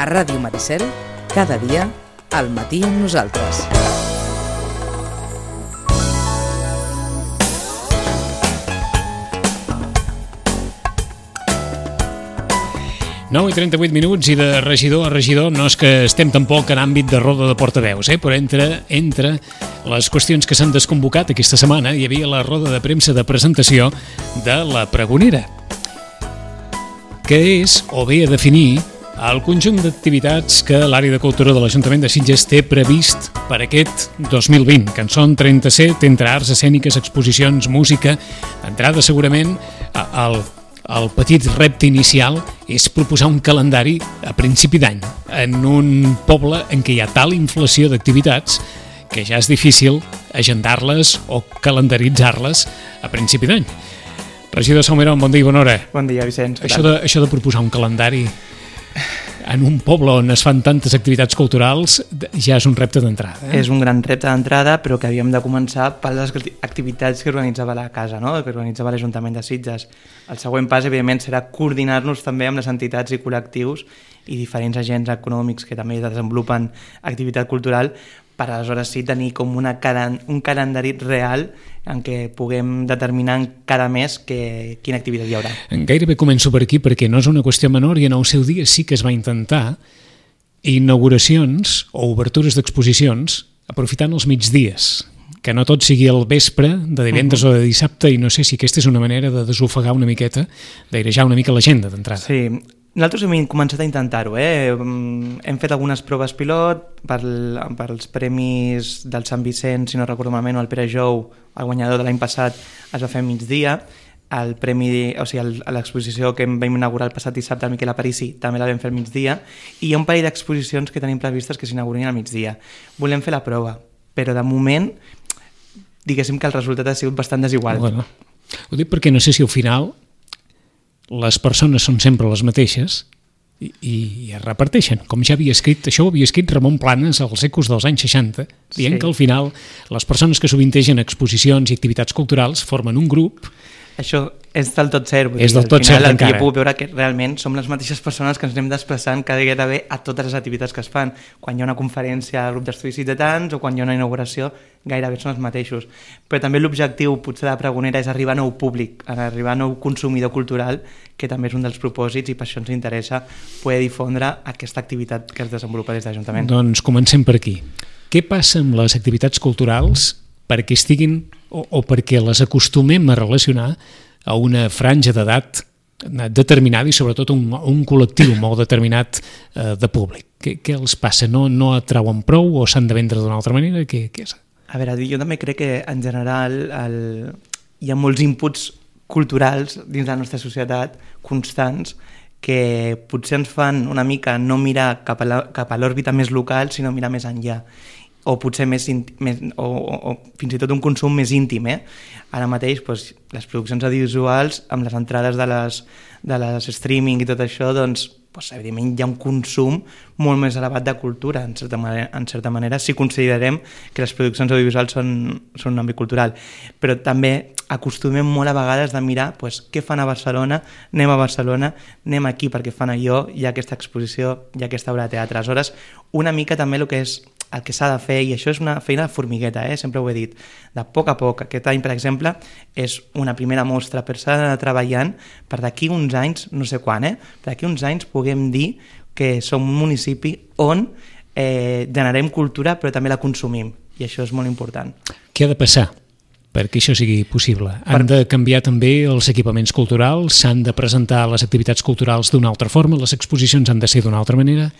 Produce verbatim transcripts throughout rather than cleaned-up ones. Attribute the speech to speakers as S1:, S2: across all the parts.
S1: A Ràdio Maricel, cada dia, al matí amb nosaltres.
S2: nou i trenta-vuit minuts i de regidor a regidor no és que estem tampoc en àmbit de roda de portaveus, eh? Però entre, entre les qüestions que s'han desconvocat aquesta setmana hi havia la roda de premsa de presentació de la Pregonera, que és, o bé a definir, el conjunt d'activitats que l'àrea de cultura de l'Ajuntament de Sitges té previst per aquest dos mil vint, que en són trenta-set, entre arts escèniques, exposicions, música. D'entrada, segurament, el El petit repte inicial és proposar un calendari a principi d'any en un poble en què hi ha tal inflació d'activitats que ja és difícil agendar-les o calendaritzar-les a principi d'any. Regidor Salmerón, bon dia i bona hora.
S3: Bon dia, Vicenç.
S2: Això de, això de proposar un calendari en un poble on es fan tantes activitats culturals ja és un repte d'entrada. Eh?
S3: És un gran repte d'entrada, però que havíem de començar per les activitats que organitzava la casa, no? Que organitzava l'Ajuntament de Sitges. El següent pas, evidentment, serà coordinar-nos també amb les entitats i col·lectius i diferents agents econòmics que també desenvolupen activitat cultural per aleshores sí tenir com una calen- un calendari real en què puguem determinar cada mes que, quina activitat hi haurà.
S2: Gairebé començo per aquí perquè no és una qüestió menor i en el seu dia sí que es va intentar inauguracions o obertures d'exposicions aprofitant els migdies, que no tot sigui el vespre de divendres uh-huh. o de dissabte, i no sé si aquesta és una manera de desofegar una miqueta, d'airejar una mica l'agenda d'entrada.
S3: Sí, nosaltres hem començat a intentar-ho, eh? Hem fet algunes proves pilot per, per als premis del Sant Vicent, si no recordo malament, o el Pere Jou, el guanyador de l'any passat, es va fer a migdia. El premi, o sigui, el, l'exposició que vam inaugurar el passat dissabte al Miquel Aparici també la vam fer al migdia, i hi ha un parell d'exposicions que tenim previstes que s'inaugurin al migdia. Volem fer la prova, però de moment diguéssim que el resultat ha sigut bastant desigual.
S2: Bueno, ho dic perquè no sé si al final les persones són sempre les mateixes i, i es reparteixen. Com ja havia escrit, això ho havia escrit Ramon Planes als ecos dels anys seixanta, dient sí. que al final les persones que sovintegen exposicions i activitats culturals formen un grup.
S3: Això és del tot cert.
S2: És del tot cert,
S3: encara. Al final
S2: encara.
S3: jo puc veure que realment som les mateixes persones que ens anem desplaçant cada dia d'haver a totes les activitats que es fan. Quan hi ha una conferència al grup d'estudis ciutadans o quan hi ha una inauguració, gairebé són els mateixos. Però també l'objectiu potser de la Pregonera és arribar a nou públic, arribar a nou consumidor cultural, que també és un dels propòsits, i per això ens interessa poder difondre aquesta activitat que es desenvolupa des de l'Ajuntament.
S2: Doncs comencem per aquí. Què passa amb les activitats culturals perquè estiguin o, o perquè les acostumem a relacionar a una franja d'edat determinada i sobretot un, un col·lectiu molt determinat eh, de públic? Què, què els passa? No, no atrauen prou o s'han de vendre d'una altra manera? Què, què és?
S3: A veure, jo també crec que en general el... hi ha molts inputs culturals dins la nostra societat constants que potser ens fan una mica no mirar cap a, la, cap a l'òrbita més local, sinó mirar més enllà, o potser més, més o, o, o fins i tot un consum més íntim. Eh? Ara mateix doncs, les produccions audiovisuals amb les entrades de les, de les streaming i tot això, doncs, doncs evidentment hi ha un consum molt més elevat de cultura, en certa manera, en certa manera si considerem que les produccions audiovisuals són, són un àmbit cultural. Però també acostumem molt a vegades de mirar doncs, què fan a Barcelona, anem a Barcelona, anem aquí perquè fan allò, hi ha aquesta exposició, hi ha aquesta obra de teatre. Aleshores, una mica també el que és el que s'ha de fer, i això és una feina de formigueta, eh? Sempre ho he dit, de poc a poc. Aquest any, per exemple, és una primera mostra, però s'ha d'anar treballant per d'aquí uns anys, no sé quan, eh? per d'aquí uns anys puguem dir que som un municipi on eh, generem cultura però també la consumim, i això és molt important.
S2: Què ha de passar perquè això sigui possible? Han de canviar també els equipaments culturals, s'han de presentar les activitats culturals d'una altra forma, les exposicions han de ser d'una altra manera?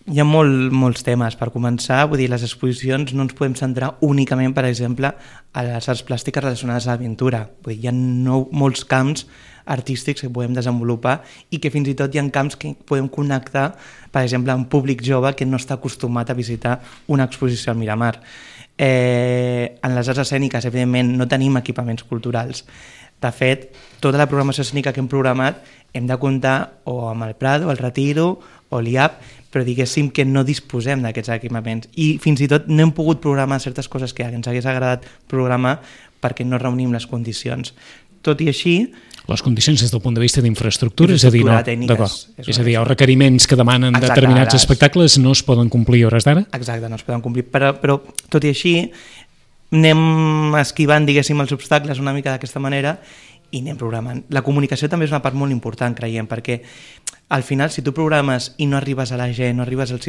S3: Hi ha molt, molts temes. Per començar, vull dir, les exposicions no ens podem centrar únicament, per exemple, a les arts plàstiques relacionades a l'aventura. Vull dir, hi ha no, molts camps artístics que podem desenvolupar i que fins i tot hi ha camps que podem connectar, per exemple, amb un públic jove que no està acostumat a visitar una exposició al Miramar. Eh, en les arts escèniques, evidentment, no tenim equipaments culturals. De fet, tota la programació escènica que hem programat hem de comptar o amb el Prado, el Retiro o l'I A P, però diguéssim que no disposem d'aquests equipaments. I fins i tot no hem pogut programar certes coses que ens hagués agradat programar perquè no reunim les condicions. tot i així...
S2: Les condicions des del punt de vista d'infraestructura, és a dir, no, d'acord. És, és a dir, els requeriments que demanen Exacte, determinats les... espectacles no es poden complir a hores d'ara?
S3: Exacte, no es poden complir, però, però tot i així anem esquivant, diguéssim, els obstacles una mica d'aquesta manera i anem programant. La comunicació també és una part molt important, creiem, perquè al final, si tu programes i no arribes a la gent, no arribes als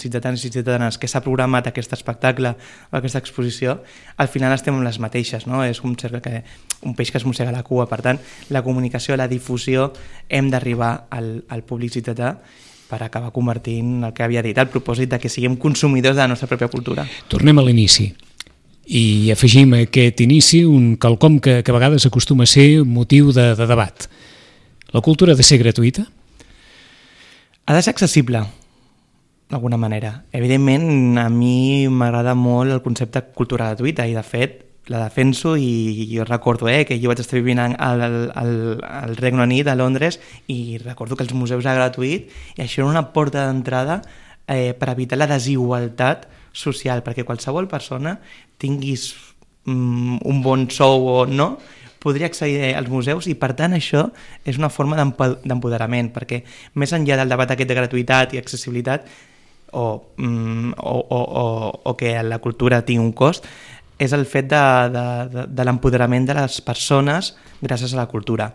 S3: ciutadans i ciutadanes que s'ha programat aquest espectacle o aquesta exposició, al final estem amb les mateixes, no? És un, que, un peix que es mossega la cua. Per tant, la comunicació, la difusió, hem d'arribar al, al públic ciutadà per acabar convertint el que havia dit, el propòsit de que siguem consumidors de la nostra pròpia cultura.
S2: Tornem a l'inici. I afegim a aquest inici un quelcom que, que a vegades acostuma a ser motiu de, de debat. La cultura ha de ser gratuïta?
S3: Ha de ser accessible, d'alguna manera. Evidentment, a mi m'agrada molt el concepte cultura gratuïta i, de fet, la defenso i jo recordo eh, que jo vaig estar vivint al, al, al Regne Unit, a Londres, i recordo que els museus eren gratuïts i això era una porta d'entrada eh, per evitar la desigualtat social, perquè qualsevol persona, tinguis mm, un bon sou o no, podria accedir als museus i, per tant, això és una forma d'empoderament, perquè més enllà del debat aquest de gratuïtat i accessibilitat o, mm, o, o, o, o que la cultura tingui un cost, és el fet de, de, de, de l'empoderament de les persones gràcies a la cultura.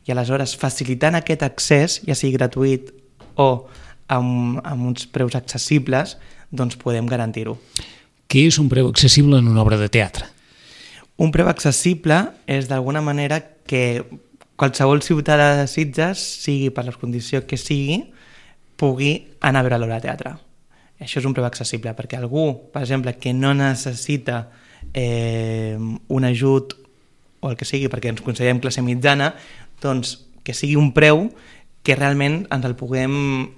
S3: I aleshores, facilitant aquest accés, ja sigui gratuït o amb, amb uns preus accessibles, doncs podem garantir-ho.
S2: Què és un preu accessible en una obra de teatre?
S3: Un preu accessible és d'alguna manera que qualsevol ciutadà de Sitges, sigui per les condicions que sigui, pugui anar a veure l'obra de teatre. Això és un preu accessible, perquè algú, per exemple, que no necessita eh, un ajut o el que sigui, perquè ens considerem classe mitjana, doncs que sigui un preu que realment ens el puguem,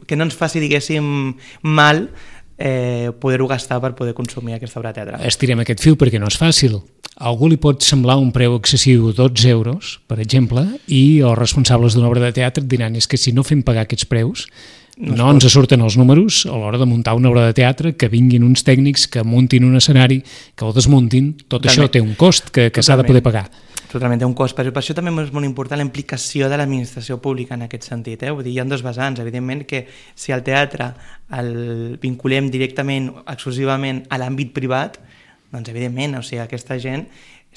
S3: que no ens faci, diguéssim, mal eh, poder-ho gastar per poder consumir aquesta obra de teatre.
S2: Estirem aquest fil perquè no és fàcil. A algú li pot semblar un preu excessiu dotze euros, per exemple, i els responsables d'una obra de teatre diran és que si no fem pagar aquests preus no, no ens surten els números a l'hora de muntar una obra de teatre, que vinguin uns tècnics, que muntin un escenari, que ho desmuntin, tot Totalment. Això té un cost que, que s'ha de poder pagar.
S3: Totalment, té un cost, però per això també és molt important la implicació de l'administració pública en aquest sentit. Eh? Vull dir, hi ha dos vessants, evidentment que si el teatre el vinculem directament, exclusivament a l'àmbit privat, doncs evidentment, o sigui, aquesta gent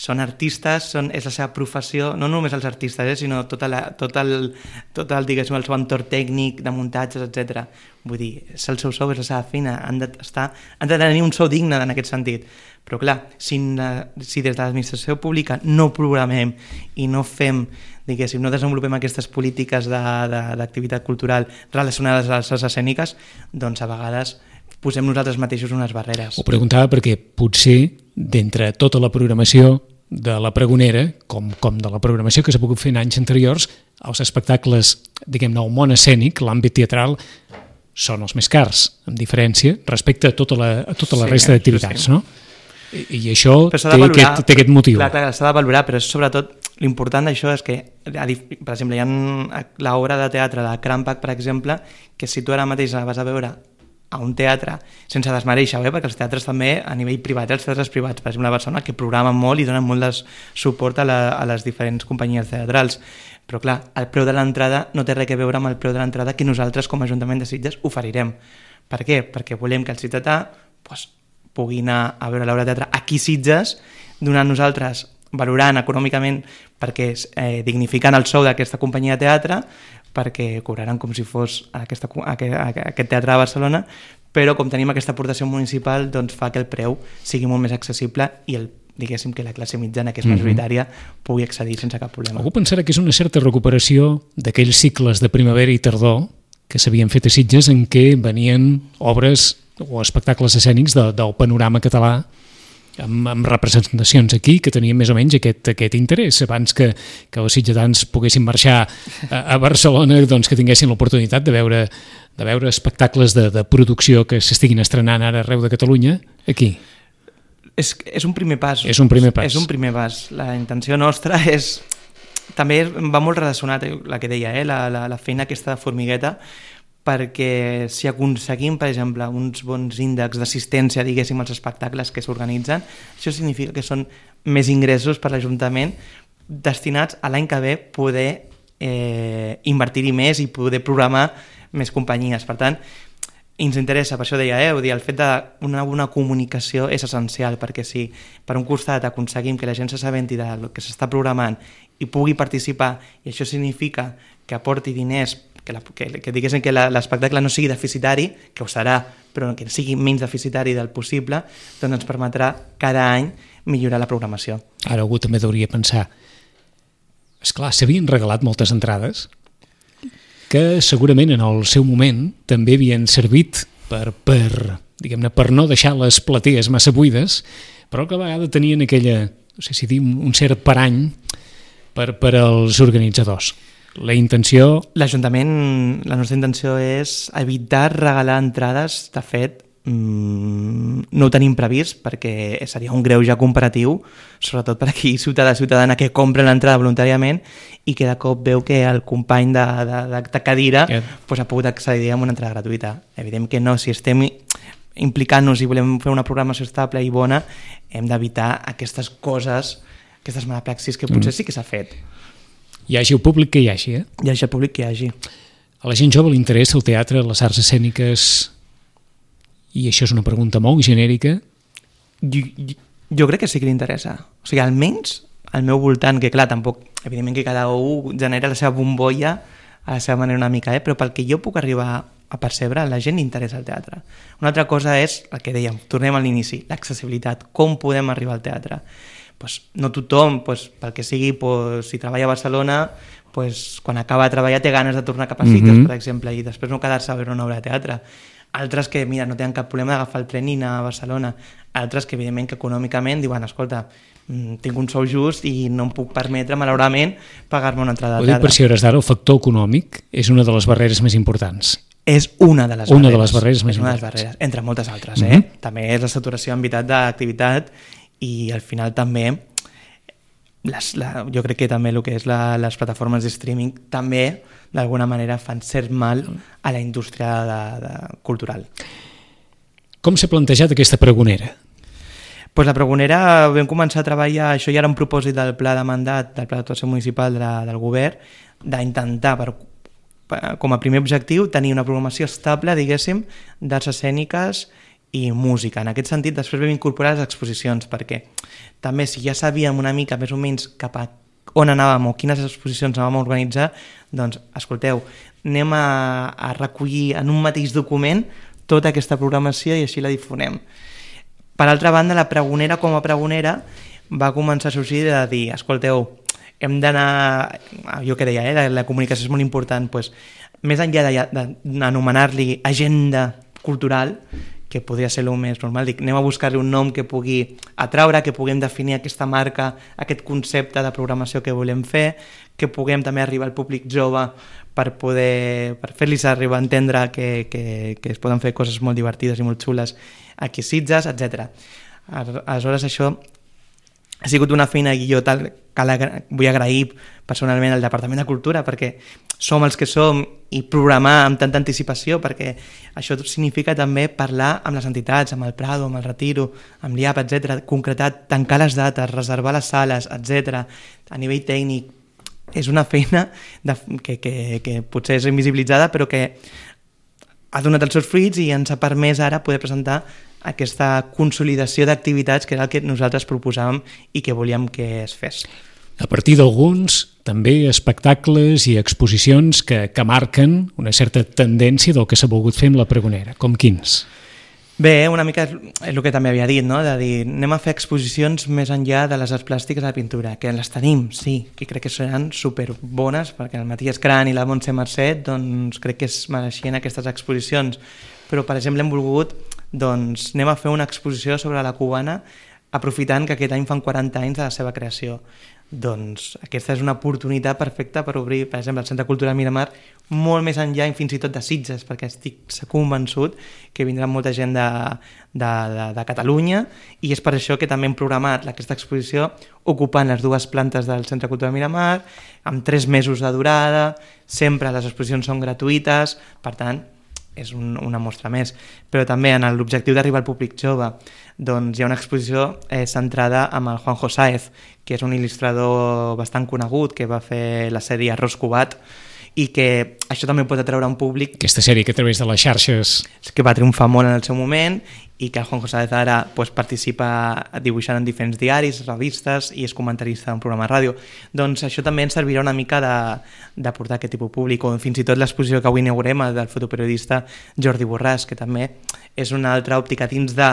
S3: són artistes, són, és la seva professió, no només els artistes, eh, sinó tot, la, tot, el, tot el, diguéssim, el seu entorn tècnic, de muntatges, etcètera. Vull dir, és el seu sou, és la seva feina, han de, estar, han de tenir un sou digne en aquest sentit. Però clar, si, si des de l'administració pública no programem i no fem, diguéssim, no desenvolupem aquestes polítiques d'activitat cultural relacionades a les arts escèniques, doncs a vegades posem nosaltres mateixos unes barreres.
S2: Ho preguntava perquè potser d'entre tota la programació de la Pregonera, com, com de la programació que s'ha pogut fer en anys anteriors, els espectacles, diguem-ne, el món escènic, l'àmbit teatral, són els més cars, amb diferència, respecte a tota la, a tota la sí, resta d'activitats, sí. No? I, i això té, valorar, aquest, té aquest motiu.
S3: Clar, clar, s'ha de valorar, però sobretot l'important d'això és que, per exemple, hi ha l'obra de teatre de Crampach, per exemple, que si tu ara mateix la vas a veure a un teatre, sense desmereixer, eh? Perquè els teatres també, a nivell privat, els teatres privats, per exemple, a Barcelona, que programen molt i donen molt de suport a, la, a les diferents companyies teatrals. Però clar, el preu de l'entrada no té res a veure amb el preu de l'entrada que nosaltres, com a Ajuntament de Sitges, oferirem. Per què? Perquè volem que el ciutadà pues, pugui anar a veure l'obra de teatre aquí a Sitges, donant nosaltres, valorant econòmicament, perquè eh, dignificant el sou d'aquesta companyia de teatre, perquè cobraran com si fos aquesta, aquest teatre de Barcelona, però com tenim aquesta aportació municipal, doncs fa que el preu sigui molt més accessible i el, diguéssim que la classe mitjana, que és majoritària, pugui accedir sense cap problema.
S2: Algú pensarà que és una certa recuperació d'aquells cicles de primavera i tardor que s'havien fet a Sitges en què venien obres o espectacles escènics de, del panorama català amb, amb representacions aquí que tenien més o menys aquest, aquest interès. Abans que, que els sitgetans poguessin marxar a, a Barcelona, doncs que tinguessin l'oportunitat de veure, de veure espectacles de, de producció que s'estiguin estrenant ara arreu de Catalunya, aquí.
S3: És, és un primer pas.
S2: És un primer pas.
S3: És un primer pas. La intenció nostra és... També va molt relacionat, la que deia, eh? la, la, la feina aquesta de formigueta, perquè si aconseguim, per exemple, uns bons índexs d'assistència, diguéssim, als espectacles que s'organitzen, això significa que són més ingressos per l'Ajuntament, destinats a l'any que ve poder eh, invertir-hi més i poder programar més companyies. Per tant, ens interessa, per això deia, eh, dir, el fet d'una una comunicació és essencial, perquè si per un costat aconseguim que la gent s'assabenti del que s'està programant i pugui participar, i això significa que aporti diners, que, la, que, que diguéssim que l'espectacle no sigui deficitari, que ho serà, però que sigui menys deficitari del possible, doncs ens permetrà cada any millorar la programació.
S2: Ara algú també hauria de pensar, esclar, s'havien regalat moltes entrades que segurament en el seu moment també havien servit per, per, diguem-ne, per no deixar les platees massa buides, però que a vegades tenien aquella, no sé si dir, un cert parany per, per als organitzadors. La intenció...
S3: L'Ajuntament, la nostra intenció és evitar regalar entrades. De fet, mmm, no ho tenim previst perquè seria un greuge comparatiu, sobretot per aquí ciutadà ciutadana que compra l'entrada voluntàriament i que de cop veu que el company de, de, de, de cadira yeah. pues, ha pogut accedir a una entrada gratuïta. Evident que no, si estem implicant-nos i volem fer una programació estable i bona, hem d'evitar aquestes coses, aquestes malapraxis que potser mm. sí que s'ha fet.
S2: Hi hagi el públic que hi hagi, eh?
S3: Hi hagi el públic que hi hagi.
S2: A la gent jove li interessa el teatre, les arts escèniques, i això és una pregunta molt genèrica.
S3: Jo, jo, jo crec que sí que li interessa. O sigui, almenys al meu voltant, que clar, tampoc, evidentment que cada un genera la seva bombolla a la seva manera una mica, eh? Però pel que jo puc arribar a percebre, la gent li interessa el teatre. Una altra cosa és el que dèiem, tornem a l'inici, l'accessibilitat, com podem arribar al teatre. Pues no tothom, pues, pel que sigui, pues, si treballa a Barcelona, pues, quan acaba de treballar té ganes de tornar cap a Sitges, mm-hmm. per exemple, i després no quedar-se a veure una obra de teatre. Altres que, mira, no tenen cap problema d'agafar el tren i anar a Barcelona. Altres que, evidentment, que econòmicament diuen, escolta, tinc un sou just i no em puc permetre, malauradament, pagar-me una entrada de teatre.
S2: Ho dic per si hores d'ara, el factor econòmic és una de les barreres més importants.
S3: És una de les
S2: una
S3: barreres.
S2: De les barreres més
S3: és una de les barreres, entre moltes altres. Eh? Mm-hmm. També és la saturació en veritat d'activitat i al final també les, la, jo crec que també el que és la, les plataformes de streaming també d'alguna manera fan cert mal a la indústria de, de, cultural.
S2: Com s'ha plantejat aquesta pregonera?
S3: Pues la pregonera vam començar a treballar, això ja era un propòsit del pla de mandat del pla d'actuació municipal de la, del govern, d'intentar per, per, com a primer objectiu tenir una programació estable, diguéssim, d'arts escèniques i música. En aquest sentit, després vam incorporar les exposicions, perquè també si ja sabíem una mica més o menys cap a on anàvem o quines exposicions anàvem a organitzar, doncs, escolteu, anem a, a recollir en un mateix document tota aquesta programació i així la difonem. Per altra banda, la pregonera com a pregonera va començar a sorgir de dir, escolteu, hem d'anar, jo que deia, eh, la, la comunicació és molt important, doncs, més enllà d'anomenar-li agenda cultural, que podria ser el més normal, dic, anem a buscar-li un nom que pugui atraure, que puguem definir aquesta marca, aquest concepte de programació que volem fer, que puguem també arribar al públic jove per poder per fer-los arribar a entendre que, que, que es poden fer coses molt divertides i molt xules aquí a Sitges, etcètera. Aleshores, això ha sigut una feina i jo tal, que la, vull agrair personalment al Departament de Cultura perquè som els que som i programar amb tanta anticipació, perquè això significa també parlar amb les entitats, amb el Prado, amb el Retiro, amb l'I A P, etcètera, concretar, tancar les dates, reservar les sales, etcètera. A nivell tècnic és una feina de, que, que, que potser és invisibilitzada però que ha donat els seus fruits i ens ha permès ara poder presentar aquesta consolidació d'activitats que era el que nosaltres proposàvem i que volíem que es fes.
S2: A partir d'alguns, també espectacles i exposicions que, que marquen una certa tendència del que s'ha volgut fer amb la pregonera. Com quins?
S3: Bé, una mica és el que també havia dit, no? De dir, anem a fer exposicions més enllà de les arts plàstiques de la pintura, que les tenim, sí, que crec que seran superbones, perquè el Matías Cran i la Montse Mercet doncs, crec que es mereixien aquestes exposicions. Però, per exemple, hem volgut, doncs, anem a fer una exposició sobre la cubana aprofitant que aquest any fan quaranta anys de la seva creació. Doncs aquesta és una oportunitat perfecta per obrir, per exemple, el Centre Cultural Miramar molt més enllà i fins i tot de Sitges, perquè estic convençut que vindrà molta gent de, de, de, de Catalunya i és per això que també hem programat aquesta exposició ocupant les dues plantes del Centre Cultural Miramar, amb tres mesos de durada, sempre les exposicions són gratuïtes, per tant, és un, una mostra més. Però també en l'objectiu d'arribar al públic jove, doncs hi ha una exposició eh, centrada amb el Juanjo Sáez, que és un il·lustrador bastant conegut, que va fer la sèrie Arròs Cubat, i que això també pot atraure un públic...
S2: Aquesta sèrie que a través de les xarxes...
S3: que va triomfar molt en el seu moment i que el Juanjo Sáez ara pues, participa dibuixant en diferents diaris, revistes i és comentarista d'un programa de ràdio. Doncs això també ens servirà una mica de, de portar aquest tipus públic, o fins i tot l'exposició que avui inaugurem del fotoperiodista Jordi Borràs, que també és una altra òptica dins de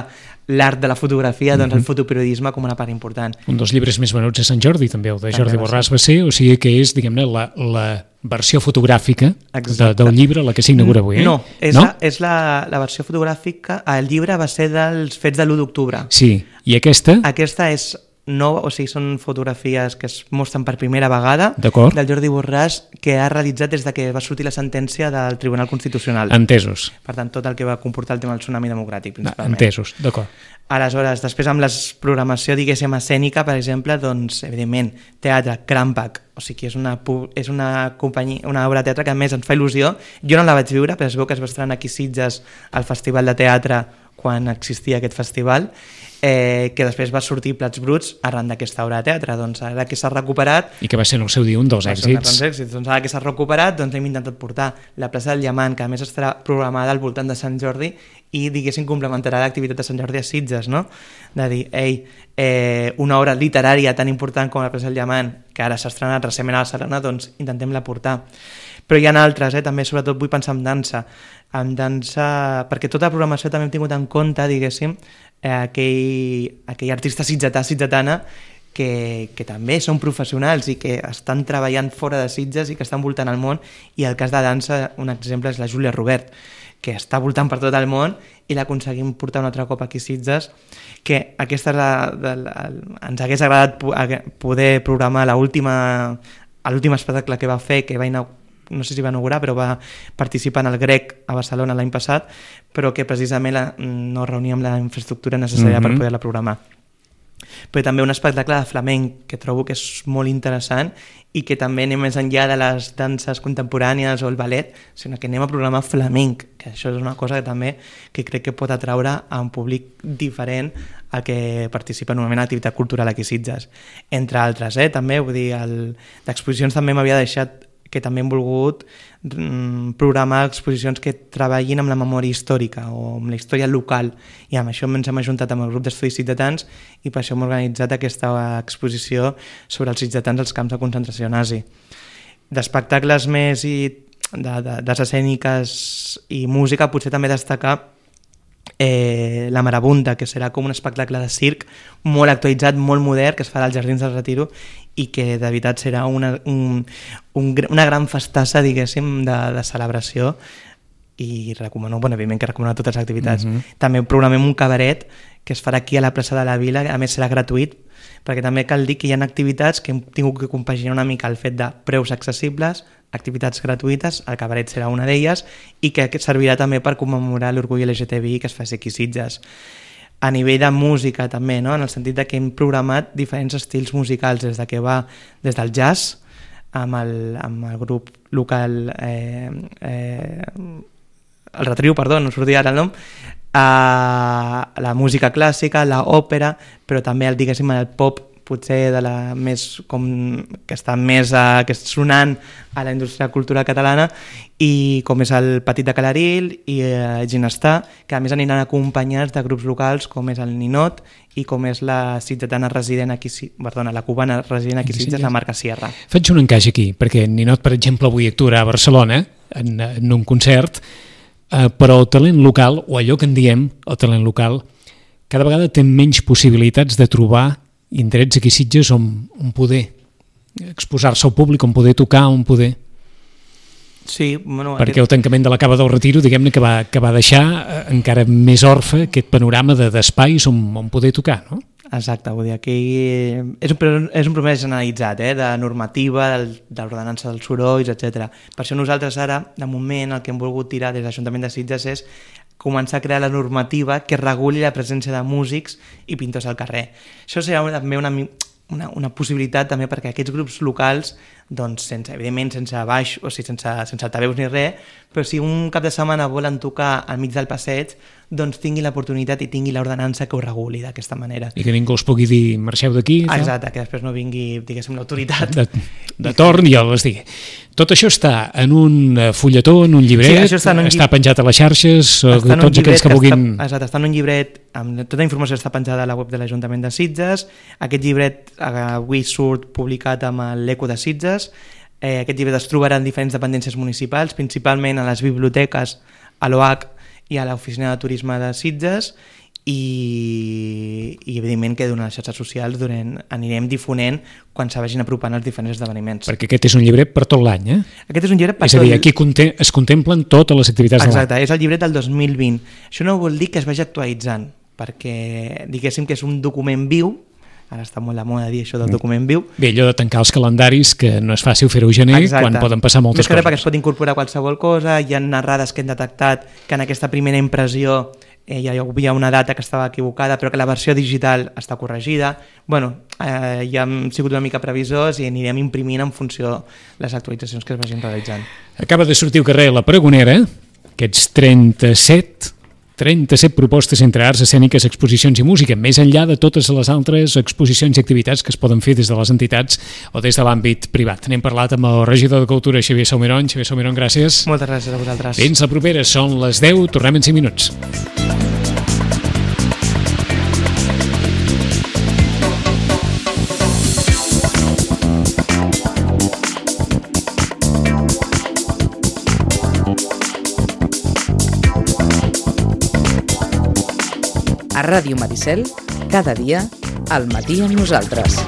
S3: l'art de la fotografia, doncs mm-hmm. el fotoperiodisme com una part important.
S2: Un dels llibres més venuts a Sant Jordi, també, el de Jordi també Borràs va ser, o sigui que és, diguem-ne, la, la versió fotogràfica de, del llibre, la que s'inaugura avui, eh?
S3: No, és,
S2: no?
S3: La, és la, la versió fotogràfica, el llibre va ser dels fets de l'u d'octubre.
S2: Sí, i aquesta?
S3: Aquesta és nova, o sigui, són fotografies que es mostren per primera vegada del Jordi Borràs, que ha realitzat des de que va sortir la sentència del Tribunal Constitucional.
S2: Entesos.
S3: Per tant, tot el que va comportar el tema del tsunami democràtic, principalment.
S2: Entesos, d'acord.
S3: Aleshores, després amb la programació, diguéssim, escènica, per exemple, doncs, evidentment, teatre, Crampac, o sigui, és una, és una, companyia, una obra de teatre que a més ens fa il·lusió. Jo no la vaig viure, però es veu que es va estrenar aquí a Sitges al Festival de Teatre quan existia aquest festival, eh, que després va sortir Plats Bruts arran d'aquesta obra de teatre. Doncs ara que s'ha recuperat...
S2: I que va ser en el seu dia un dels èxits.
S3: èxits. Doncs ara que s'ha recuperat, doncs hem intentat portar la plaça del Diamant, que a més estarà programada al voltant de Sant Jordi, i diguéssim complementarà l'activitat de Sant Jordi a Sitges, no? De dir, ei, eh, una obra literària tan important com la plaça del Diamant, que ara s'ha estrenat recentment a Barcelona, doncs intentem-la portar. Però hi ha altres, eh? També sobretot vull pensar en dansa, en dansa, perquè tota la programació també hem tingut en compte, diguéssim, eh, aquell, aquell artista sitgetà, sitgetana, que, que també són professionals i que estan treballant fora de Sitges i que estan voltant el món, i el cas de dansa, un exemple és la Júlia Robert, que està voltant per tot el món i l'aconseguim portar un altre cop aquí a Sitges, que aquesta és la, de la, ens hagués agradat poder programar l'última l'últim espectacle que va fer, que va inaugurar, no sé si va inaugurar, però va participar en el Grec a Barcelona l'any passat, però que precisament la, no reuníem la infraestructura necessària mm-hmm. per poder-la programar. Però també un espectacle de flamenc que trobo que és molt interessant i que també anem més enllà de les danses contemporànies o el ballet, sinó que anem a programar flamenc, que això és una cosa que també que crec que pot atraure a un públic diferent al que participa normalment a l'activitat cultural aquí a Sitges. Entre altres, eh? també, vull dir, el, d'exposicions també m'havia deixat que també hem volgut mm, programar exposicions que treballin amb la memòria històrica o amb la història local, i amb això ens hem ajuntat amb el grup d'estudis sitgetans i per això hem organitzat aquesta exposició sobre els sitgetans als camps de concentració nazi. D'espectacles més i de, de, de escèniques i música, potser també destacar Eh, La Marabunta, que serà com un espectacle de circ molt actualitzat, molt modern, que es farà als Jardins del Retiro i que de veritat serà una, un, un, una gran festassa, diguéssim, de, de celebració, i recomano, bueno, evidentment que recomano totes les activitats. Mm-hmm. També programem un cabaret que es farà aquí a la plaça de la Vila, a més serà gratuït, perquè també cal dir que hi ha activitats que hem tingut que compaginar una mica el fet de preus accessibles, activitats gratuïtes, el cabaret serà una d'elles, i que servirà també per commemorar l'orgull L G T B I que es faci aquí a Sitges. A nivell de música també, no? En el sentit de que hem programat diferents estils musicals, des de que va des del jazz, amb el, amb el grup local eh, eh, el Retriu, perdó, no sortia ara el nom, a la música clàssica, l'òpera, però també el, diguéssim, el pop, potser de la més com que està més a, que és sonant a la indústria cultural catalana, i com és el Petit de Calaril i eh, Ginestar, que a més aniran acompanyats de grups locals com és el Ninot i com és la sitgetana resident aquí, perdona, la cubana resident aquí a Sitges, la Marca Sierra.
S2: Faig un encaix aquí, perquè Ninot, per exemple, avui actuarà a Barcelona en, en un concert, eh, però el talent local, o allò que en diem el talent local, cada vegada té menys possibilitats de trobar indrets aquí a Sitges on, on poder exposar-se al públic, on poder tocar, on poder...
S3: Sí, bueno...
S2: Perquè el tancament de la Cava del Retiro, diguem-ne, que va, que va deixar eh, encara més orfe aquest panorama de, d'espais on, on poder tocar, no?
S3: Exacte, vull dir, aquí és un, és un problema generalitzat, eh, de normativa, del, de l'ordenança dels sorolls, etcètera. Per això nosaltres ara, de moment, el que hem volgut tirar des de l'Ajuntament de Sitges és començar a crear la normativa que reguli la presència de músics i pintors al carrer. Això serà també una, una, una possibilitat també perquè aquests grups locals, doncs, sense, evidentment sense baix, o sigui, sense, sense altaveus ni res, però si un cap de setmana volen tocar al mig del passeig, doncs tingui l'oportunitat i tingui l'ordenança que ho reguli d'aquesta manera.
S2: I que ningú us pugui dir marxeu d'aquí.
S3: Exacte, que després no vingui, diguéssim, l'autoritat.
S2: De, de torn i el les digui. Tot això està en un fulletó, en un llibret, sí, està, en un llib... està penjat a les xarxes, tots aquells que vulguin...
S3: Està, exacte, està en un llibret, amb tota la informació està penjada a la web de l'Ajuntament de Sitges. Aquest llibret avui surt publicat amb l'Eco de Sitges. Eh, aquest llibret es trobarà en diferents dependències municipals, principalment a les biblioteques, a l'O H i a l'Oficina de Turisme de Sitges, i, i evidentment que durant les xarxes socials durant, anirem difonent quan se vagin apropant els diferents esdeveniments.
S2: Perquè aquest és un llibret per tot l'any, eh?
S3: Aquest és un llibret per
S2: és
S3: tot...
S2: És a dir, aquí conté, es contemplen totes les activitats de l'any.
S3: Exacte, és el llibret del dos mil vint. Això no vol dir que es vagi actualitzant, perquè diguéssim que és un document viu. Ara està molt de moda dir això del document viu.
S2: Bé, allò de tancar els calendaris, que no és fàcil fer-ho a gener,
S3: exacte,
S2: quan poden passar moltes
S3: coses. Més que res perquè
S2: coses.
S3: es pot incorporar qualsevol cosa, hi ha narrades que hem detectat que en aquesta primera impressió eh, hi havia una data que estava equivocada, però que la versió digital està corregida. Bueno, eh, ja hem sigut una mica previsors i anirem imprimint en funció de les actualitzacions que es vagin realitzant.
S2: Acaba de sortir al carrer La Pregonera, aquests trenta-set trenta-set propostes entre arts escèniques, exposicions i música, més enllà de totes les altres exposicions i activitats que es poden fer des de les entitats o des de l'àmbit privat. N'hem parlat amb el regidor de Cultura, Xavier Salmerón. Xavier Salmerón, gràcies.
S3: Moltes gràcies a vosaltres.
S2: Fins la propera, són les deu, tornem en cinc minuts.
S1: A Ràdio Maricel, cada dia, al matí amb nosaltres.